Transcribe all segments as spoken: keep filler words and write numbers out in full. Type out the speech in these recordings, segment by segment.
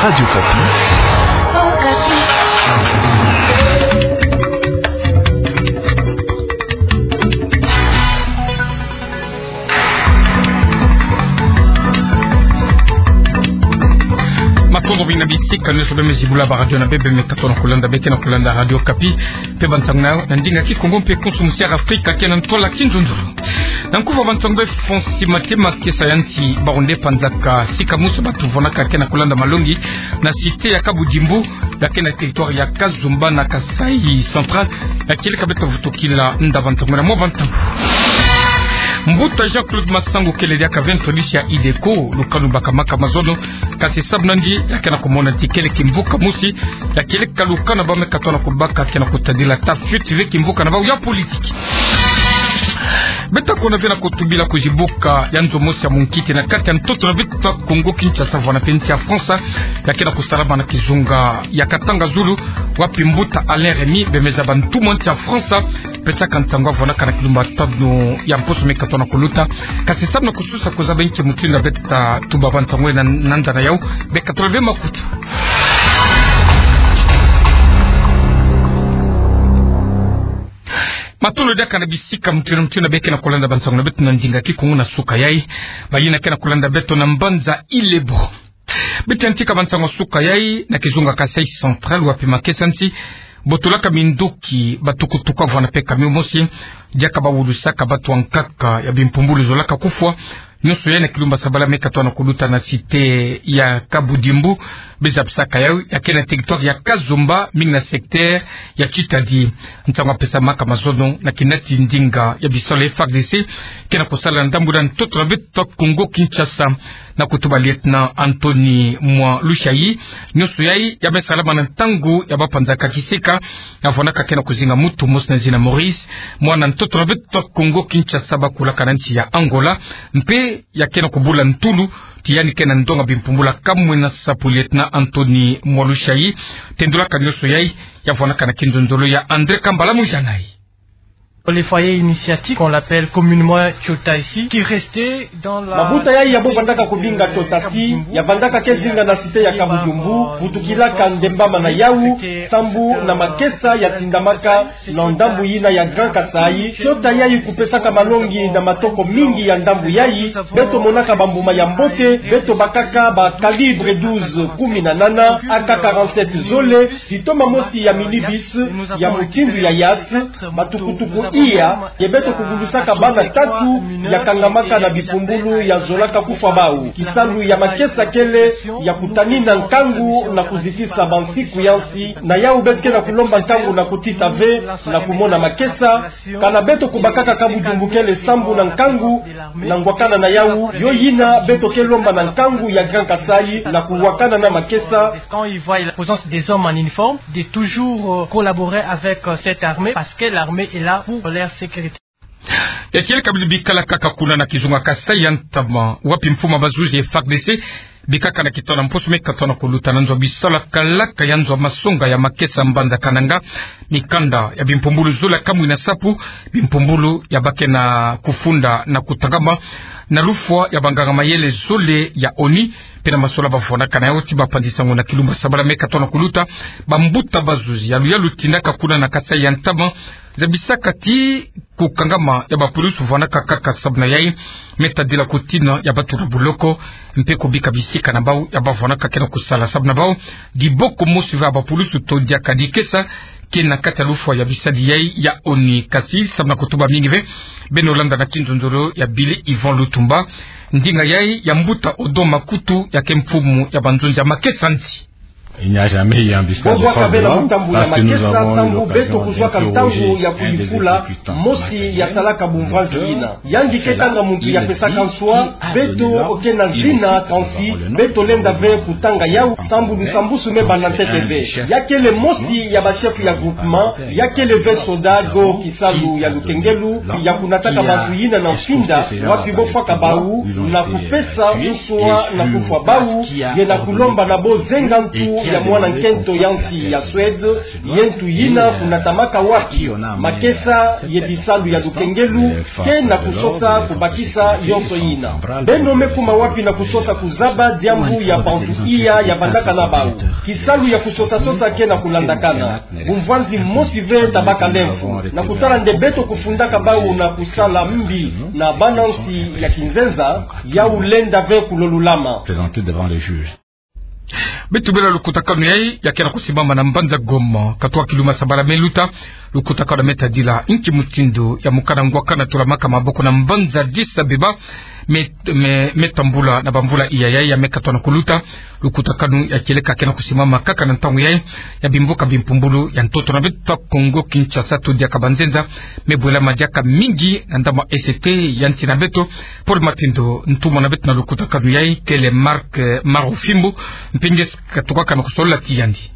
Radio Okapi. Matondo mingi na bisika nyonso beno me zibula ba radio na beno, beno me katono kolanda, beno ke na kolanda Radio Okapi. Mpe bansango na ndinga Kikongo mpe konso musi ya Afrika ke na ntwala kinzonzolo. Na nkufa bansango beno fon sima te, makesa ya nti Baoundé, panzaka sika mosi, bato vandaka ke na kolanda malongi na cité ya Kabudimbu, ya ke na territoire ya Kazomba na Kasaï Central, ya kieleka beto vutukila nda bansango na mwa bansango. Mbuta Jean-Claude Masangu kele diaka ve ntolie ya IDECO, lukanu bakamaka mazono, kasi sabu na nge ya ke na kumona ti kele kimvuka mosi ya kieleka lukanu ba me katono kubaka ke na kutadila ta fuite ve kimvuka na bau ya politiki. Beto kona ve na kutubila kuzibuka ya nzo mosi ya munkiti na kati ya ntoto na beto Kongo Kinshasa, vwanda mpe nsi ya France, ya ke na kusalama na kizunga ya Katanga Zulu, wapi mbuta Alain Rémy, bemeza bantu mwa nsi ya France, pesaka nsangu, avwandaka na kilumbu tanu ya mposo me katono kuluta. Kasi samu na kususa kuzaba nki mutindu beto ta tuba bansango na, na nza na yau, beno katono ve makutu. Matondo diaka na bisika mutindu mutindu beno ke na kolanda bansango na beto na ndinga Kikongo na suka yai. Bayina ke na kolanda beto na mbanza Ile-Bro, beto yantika bansango suka yai na kizunga Kasaï Central, wapi makesa nti botolaka minduki, batukutuku, vwanda mpe camion mosi, diaka bawulusaka bato ya nkaka ya bimpumbulu zolaka kufwa. Nyonso yai na kilumbu sabala me katono kuluta na cité ya Kabudimbu, bezabisaka yau, ya ke na territoire ya Kazomba, mingi na secteur ya Titadi. Nsangu ya pesamaka mazono na kinati ndinga ya bisalu ya F A R D C ke na kusala na ndambu na ntoto na beto Kongo Kinshasa, na kutuba lieutenant Anthony Mwa Lushai. Nyonso yai ya me salama na ntangu ya bapanzaka kisika, ya vwandaka ke na kuzinga mutu mosi na zina Maurice, mwana ntoto na beto Kongo Kinshasa, bakulaka na nsi ya Angola, mpe ya ke na kubula ntulu ti yandi ke na ndonga bimpumbulu kamwe na sapu. Lieutenant Anthony Mwa Lushai tendulaka nyonso yai, ya vwandaka na kinzonzolo ya André Kambala Mujangai. Les foyers initiatiques, on l'appelle communément Tchotasi, qui restaient dans la... Mabuta yai ya bo vandaka kubinga Tchotasi, ya vandaka ke zinga na cité ya Kabudimbu, vutukilaka ndembama na yau, sambu na makesa ya tindamaka na ndambu yina ya Grand Kasaï. Tchota yai kupesaka malongi na matoko mingi ya ndambu yai. Beto monaka bambuma ya mbote, beto bakaka ba calibre douze, kumi na nana, A K quarante-sept zole, kitoma mosi ya minibus ya mutindu ya Hiace, batukutuku iya, ye beto kubulusaka bana tatu ya kangamaka na bipumbulu ya zolaka kufwa bau. Kisalu ya makesa kele ya kutanina nkangu na kuzitisa bansiku ya nsi. Na yau beto ke na kulomba nkangu na kutita ve na kumona makesa. Kana beto kubakaka Kabudimbu kele sambu na nkangu na ngwakana na yau, yo yina beto ke lomba na nkangu ya Grand Kasaï na kuwakana na makesa. Quand ils voient la présence des hommes en uniforme, de toujours, euh, collaborer avec, euh, cette armée, parce que l'armée est là pour leur sécurité. Ya kieleka bilu bikala kaka kuna na kizunga Kasaï ya ntama, wapi mfumu ya bazuzi ya F A R D C bikaka na kitono mposo me katono kuluta na nzo ya bisalu ya kalaka ya nzo ya masonga ya makesa mbanza Kananga, mikanda ya bimpumbulu zole kamwe na sapu, bimpumbulu ya ba ke na kufunda na kutangama na lufwa ya banganga mayele zole ya ONU, mpe na masola bavwandaka na yau ti bapanzi nsangu na kilumbu sabala me katono kuluta. Bambuta bazuzi ya luyalu tindaka kuna na Kasaï ya ntama zabisaka ti kukangama ya bapulusu vwandaka kaka sabu na yai me tadila kutina ya bato na buloko, mpe kubika bisika na bau ya bavwandaka ke na kusala. Sabu na bau, diboko mosi ve ya bapulusu to diaka dikesa ke na kati ya lufwa ya bisadi yai ya ONU. Kasi samu na kutuba mingi ve, beno landa na kinzonzolo ya Billy Yvon Lutumba. Ndinga yai ya mbuta Odon Makutu, ya ke mfumu ya banzonzi ya makesa nti. Il n'y a jamais eu en histoire de force de l'ordre, parce que nous avons eu l'occasion d'interroger un des exécutants de la Cayenne, Maître Léon. Yandi ke tanga muntu ya pesaka nswa, beto ke na zina, kansi beto lenda ve kutanga yau, sambu lusambusu me banda ntete ve. Ya kele mosi ya ba chef ya groupement, ya kele ve soda go kisalu ya lukengelu, ya kunataka bantu yina na mfinda, wapi bo fwaka bau, na kupesa nswa na kufwa bau, ye na kulomba na bo zenga ntu ya mwana nkento ya nsi ya Suède, ye ntu yina kunatamaka wapi makesa ye bisalu ya lukengelu ke na kusosa kubakisa yonso yina. Beno me kuma wapi na kusosa kuzaba diambu ya bantu iya ya vandaka na bau? Kisalu ya kusosa-sosa ke na kulandakana. Bumvwanzi mosi ve tabaka lemfu. Na kutala nde beto kufundaka bau na kusala mbi na bana nsi ya kinzenza, yau lenda ve kulolulama. Beto bela lukutakanu yayi ya ke na kusimama na mbanza Goma, katoa kiluma sabala me luta. Lukutakanu me tadila inki mutindu ya mukana ngwakana tulamaka maboko na mbanza Addis Abeba me, me, me tambula na bamvula iya yayi ya me katoa na kuluta. Lukutakanu ya kieleka ke na kusimama kaka na ntangu yayi ya bimvuka bimpumbulu ya ntoto na beto Kongo Kinshasa, to diaka banzenza me bwelama diaka mingi na ndambu E C T ya nsi na beto. Paul Matindo, ntumwa na beto na lukutakanu yayi, kele Marc, eh, Marufimbo, mpenge katukaka na kusolola ti yandi.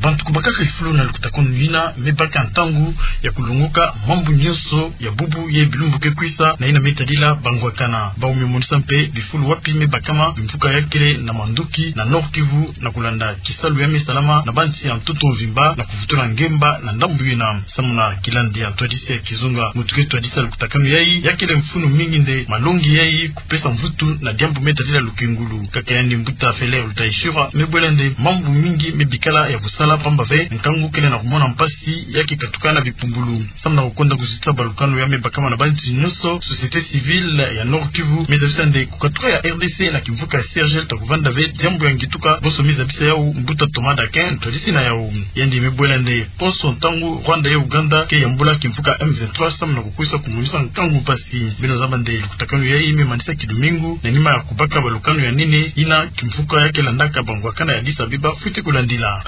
Bantu kubakaka kifulu na lukutakanu yina me baka ntangu ya kulongoka mambu nyonso ya bubu ye bilumbu ke kwisa na yina me tadila bangwakana. Bau me monisa mpe bifulu wapi me bakama bimvuka ya kele na mandoki na Nord-Kivu na kulanda kisalu ya me salama na bansi ya ntoto mvimba na kuvutula ngemba na ndambu yina. Samu na kilandi ya ntwadisi ya kizunga, muntu ke twadisa lukutakanu yayi, ya kele mfunu mingi nde malongi yayi kupesa mvutu na diambu me tadila lukengulu. Kaka yandi mbuta Fele Lutaishura me bwela nde mambu mingi me bikala ya kusala pamba ve, nkangu kele na kumona mpasi ya ke katuka na bipumbulu. Samu na kukonda kuzitisa balukanu ya me bakama na bantu nyonso, société civile ya Nord-Kivu me zabisa nde kukatuka ya R D C na kimvuka ya C R G L ta kuvanda ve diambu ya ngituka. Bonso me zabisa yau mbuta Thomas Dakin, ntwadisi na yau. Yandi me bwela nde konso ntangu Rwanda ye Uganda ke yambula kimvuka M vingt-trois samu na kukwisa kumonisa nkangu mpasi. Beno zaba nde lukutakanu yayi me manisa kilumingu na nima ya kubaka balukanu ya nene yina kimvuka ya ke landaka bangwakana ya Addis Abeba fwiti kulandila.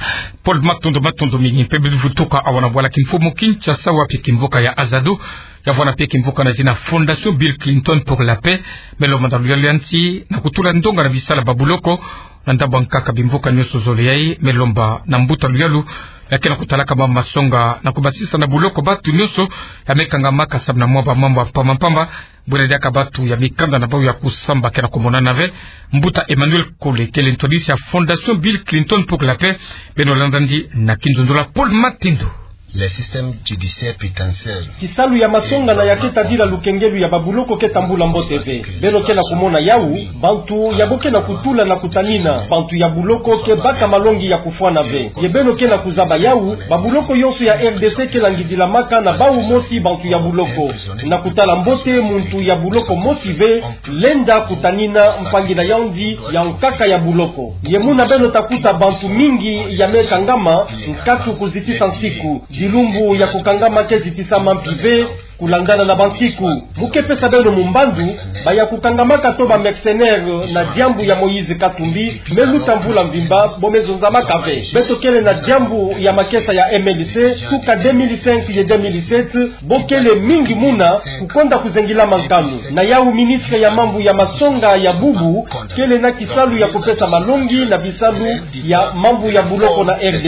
Paul, matondo, matondo mingi. Mpe beno vutuka awa na bwala kimfumu Kinshasa, wapi kimvuka ya Azado, ya vwana mpe kimvuka na zina Fondation Bill Clinton pour la Paix, me lomba na luyalu ya nsi na kutula ndonga na bisala babuloko na ndambu ya nkaka. Bimvuka nyonso zole yayi me lomba na mbuta luyalu ya ke na kutalaka mambu masonga na kubasisa na buloko bantu nyonso ya me kangamaka samu na mwa bamambu ya mpamba mpamba. Bwela diaka bantu ya mikanda na bau ya kusamba ke na kumonana ve. Mbuta Emmanuel Kole, kele ntwadisi ya Fondation Bill Clinton pour la Paix, beno landa yandi na kinzonzolo ya Paul Matindo. Le système judiciaire pénitentiaire. Kisalu ya masonga na ya ke tadila lukengelu ya babuloko ke tambula mbote ve. Beno ke na kumona yau, bantu ya bo ke na kutula na kutanina, bantu ya buloko ke baka malongi ya kufwana ve. Ye beno ke na kuzaba yau, babuloko yonso ya R D C ke langidilamaka na bau mosi bantu ya buloko. Na kutala mbote, muntu ya buloko mosi ve lenda kutanina mpangi na yandi ya nkaka ya buloko. Ye muna beno ta kuta bantu mingi ya me kangama, nkatu kuzitisa nsiku. Bilumbu ya kukangama ke zitisama mpi ve, kulandana na bansiku. Mu ke pesa beno mumbandu, ba ya kukangamaka to ba mercenaires na diambu ya Moïse Katumbi, me luta mvula mvimba, bo me zonzamaka ve. Beto kele na diambu ya makesa ya M L C, tuka deux mille cinq ye deux mille sept, bo kele mingi muna, kukonda kuzengilama nkanu. Na yau ministre ya mambu ya masonga ya bubu, kele na kisalu ya kupesa malongi na bisalu ya mambu ya buloko na R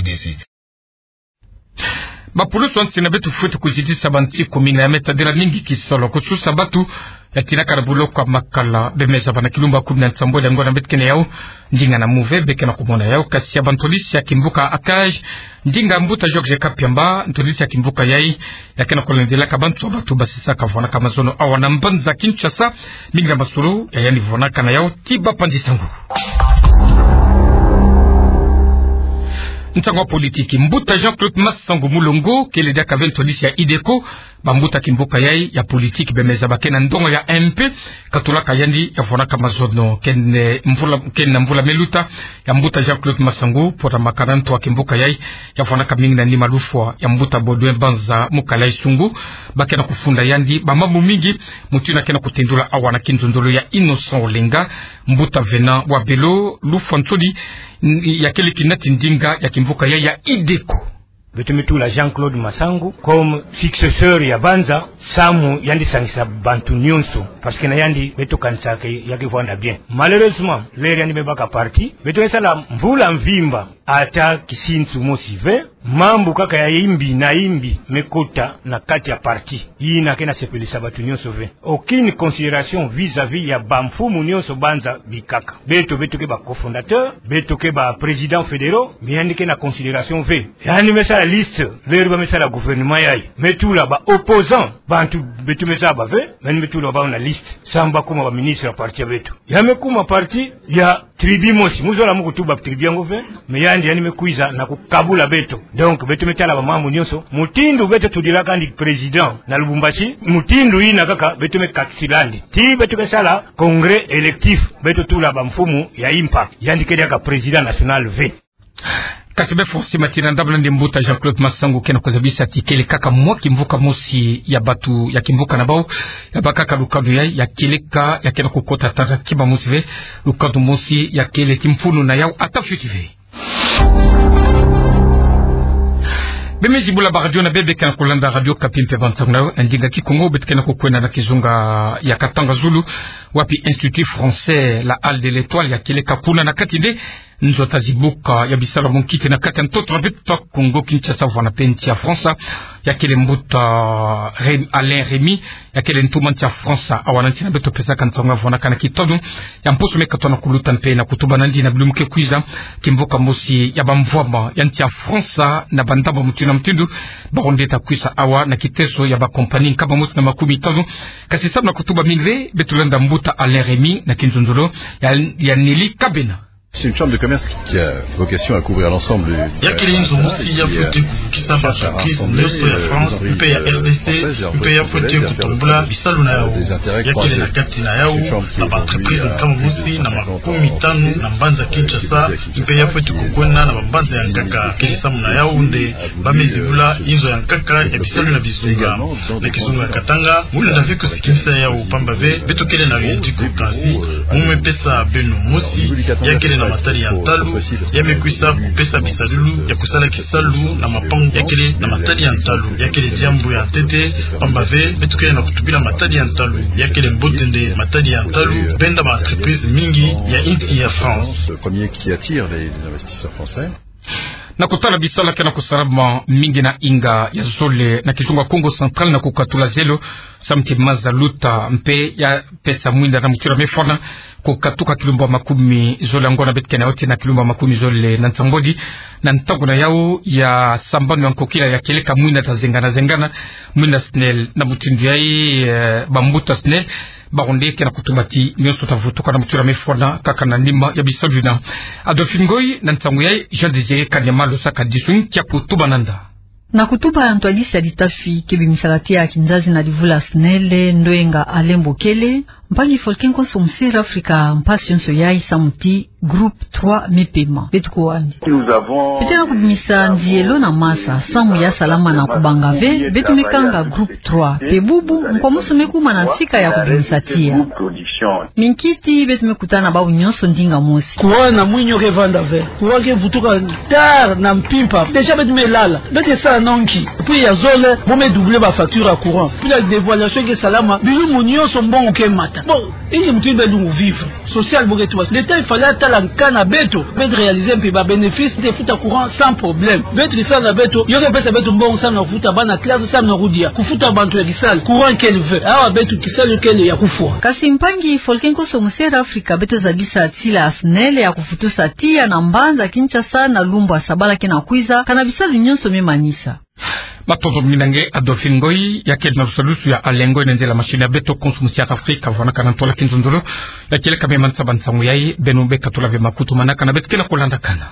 D C. Bapulusu ya nsi na beto fwete kuzitisa bansiku mina ya me tadila mingi kisolo kususa bantu ya tinaka na buloko ya Makala. Be me zaba na kilumbu ya kumi na nsambwadi ya ngonda beto ke na yau, ndinga na mu ve be ke na kumona yau, kasi ya bantwadisi ya kimvuka ACAJ, ndinga mbuta Georges Kapiamba, ntwadisi ya kimvuka yayi, ya ke na kulandilaka bantu ya bantu basisaka vwanaka mazono awa na mbanza Kinshasa. Mingi na masolo ya yandi vwanaka na yau, ti bapanzi sango. Nsangu ya politiki, mbuta Jean-Claude Masangu Mulongo, kele diaka ve ntwadisi ya IDECO, bambuta kimvuka yayi ya politiki be me zaba ke na ndonga ya M P, katulaka yandi ya vwanaka mazono, ke na mvula, ke na mvula me luta, ya mbuta Jean-Claude Masangu, pota makana ntu ya kimvuka yayi, ya vwanaka mingi na nima lufwa ya mbuta Baudouin Banza Mukala Isungu, ba ke na kufunda yandi bamambu mingi, muntu yina ke na kutendula awa na kinzonzolo ya Innocent Olenga, mbuta Venant Wabelo, lufwa nsoni, n-, ya kele kinati ndinga ya kimvuka yayi ya IDECO. Beto me tula Jean-Claude Masangu comme successeur ya Banza, samu yandi sangisa bantu nyonso. Parce que na yandi, beto kanisaka ke ya ke vwanda bien. Malheureusement, l'heure yandi me baka parti, beto me sala mvula mvimba, ata kisinsu mosi ve, Mambu kaka ya imbi na imbi me kota na kati ya parti. Yina ke na sepelisa bato nyonso ve. Aucune considération vis-à-vis ya bamfumu nyonso banza bikaka. Beto, beto ke ba cofondateur, beto ke ba président fédéraux, mais yandi ke na considération ve. Yandi me sala liste, l'heure ba me sala gouvernement yayi. Me tula ba opposant, bantu beto me zaba ve, yandi me tula bau na liste. Samu ba kuma ba ministre ya parti ya beto. Ya me kuma parti ya tribu mosi, mu zola mu kutuba tribu yango ve, mais yandi, yandi me kwiza na kukabula beto. Donc, beto me tala ba mambu nyonso. Mutindu beto tudila kandi président na Lubumbashi, mutindu yina kaka beto me kakisila'andi. Ti beto ke sala congrès électif, beto tula bamfumu ya impa. Yandi ke diaka président national ve. Kasi be fosi matina ndabla nde mbuta Jean-Claude Masangu ke na kuzabisa ti kele kaka mwa kimvuka mosi ya bato ya kimvuka na bau, ya baka kaka lukadu ya, ya kele ka, ya ke na kukota tata kima mosi ve, lukadu mosi ya kele kimfunu na yau ata fioti ve. Be me zibula ba radio na bebe ke na kulanda Radio Okapi mpe Bantu na yau, ndinga Kikongo, beto ke na kukwenda na kizunga ya Katanga Zulu, wapi Institut français, la Halle de l'Étoile, ya kele ka kuna na kati nde nzo ta zibuka ya bisalu ya bunkiti na kati ya ntoto na beto Kongo Kinshasa, vwanda mpe nsi ya France, ya kele mbuta Rem-, Alain Rémy, ya kele ntuma nsi ya France awa na nsi na beto, pesaka nsangu ya vwanakana kitono ya mposo me katono kuluta mpe na kutuba nandi na bilumbu ke kwiza, kimvuka mosi ya bamvwama ya nsi ya France na bandamba mutindu na mutindu, baronde ta kwisa awa na kiteso ya ba compagnie nkama mosi na makumi tanu. Kasi samu na kutuba mingi ve, beto landa mbuta Alain Rémy na kinzonzolo ya, ya Nelly Kabena. C'est une chambre de commerce qui a vocation à couvrir l'ensemble du... Ya kele nzo mosi ya fweti kuvukisa ba entreprise nyonso ya France mpe ya R D C, mpe ya fweti kutombula bisalu na yau. Ya kele na kati na yau na ba entreprise nkama mosi na makumi tanu na mbanza Kinshasa, mpe ya fweti kukwenda na ba mbanza ya nkaka. Kele samu na yau nde ba me zibula inzo ya nkaka ya bisalu na bizunga. Na kizunga Katanga, mu lenda ve kusikimisa yau, pamba ve beto kele na luyantiku kansi mu me pesa beno mosi ya kele na matadi ya ntalu, ya me kwisa kupesa bisalulu ya kusala kisalu na mapangu ya kele na matadi ya ntalu. Ya kele diambu ya ntete, pamba ve beto kele na kutubila matadi ya ntalu. Ya kele mbote nde matadi ya ntalu benda ba entreprise mingi ya insi ya France. Le premier qui attire les, les investisseurs français. Na kutala bisalu ke na kusalama mingi na inga ya zole na kizunga Kongo Central na kukatula zelo, samu ti maza luta mpe ya pesa mwinda na mutura mefwana, kukatuka kilumbu makumi zole ya ngona beto ke na yau tii na kilumbu makumi zole na nsambwadi, na ntangu na yau ya sambanu ya nkokila ya kele ka mwinda ta zengana zengana, mwinda SNEL. Na mutindu yayi, eh, bambuta SNEL baronde ke na kutuba ti nyonso ta vutuka na mutura mefwana kaka na nima ya bisalu yina. Adolphe Ngoy, na ntangu yayi Jean Désiré Kanyama Losaka Disun kia kutuba nanda. Na kutuba ya ntwadisi ya litafi ke bimisaka tiya kinzazi na livula SNEL, ndoyenga Alain Bokele, mpangi Folke Nkoso Musere Afrika, mpasi yonso yayi samu ti groupe trois me pema. Beto kuwa andi. Beto ke na kubimisa nziyelo na masa, samu ya salama na kubanga ve beto me kanga groupe trois. Mpe bubu, nkwa mosi me kuma na nsika ya kubimisa tiya. Minkiti beto me kutana bau nyonso ndinga mosi. Courant na mwinyo ke vanda ve. Courant ke vutuka tard na mpimpa. Déjà beto me lala. Beto ke sala nonki. Prix ya zole, bo me doubler ba facture ya courant. Puis la dévaluation ke salama, bilumbu nyonso mbongo ke mata. Bon, inki mutindu beto lungu vivre? Social bo ke tuba. L'État il fallait atala nka na beto. Beto réaliser mpe ba bénéfice de futa courant sans problème. Beto kisalu na beto, yo ke pesa beto mbongo samu na kufuta bana classe, samu na kudia, kufuta bantu ya kisalu. Courant kele ve. Awa beto kisalu kele ya kufwa. Kasi mpangi Folke Nkoso Musere Afrika, beto zabisa ti la SNEL ya kufutusa tiya na mbanza Kinshasa na lumbu ya sabala ke na kwiza, kana bisalu nyonso me manisa. Matondo mingi na nge Adolphe Ngoy, ya kele na lusalusu ya Alain Ngoy na nzila machine ya beto Konso Musere Afrika, vwanakana ntola kinzonzolo, ya kele ka me manisa ba nsangu yayi, beno be katula ve makutu manaka na beto ke na kulandakana.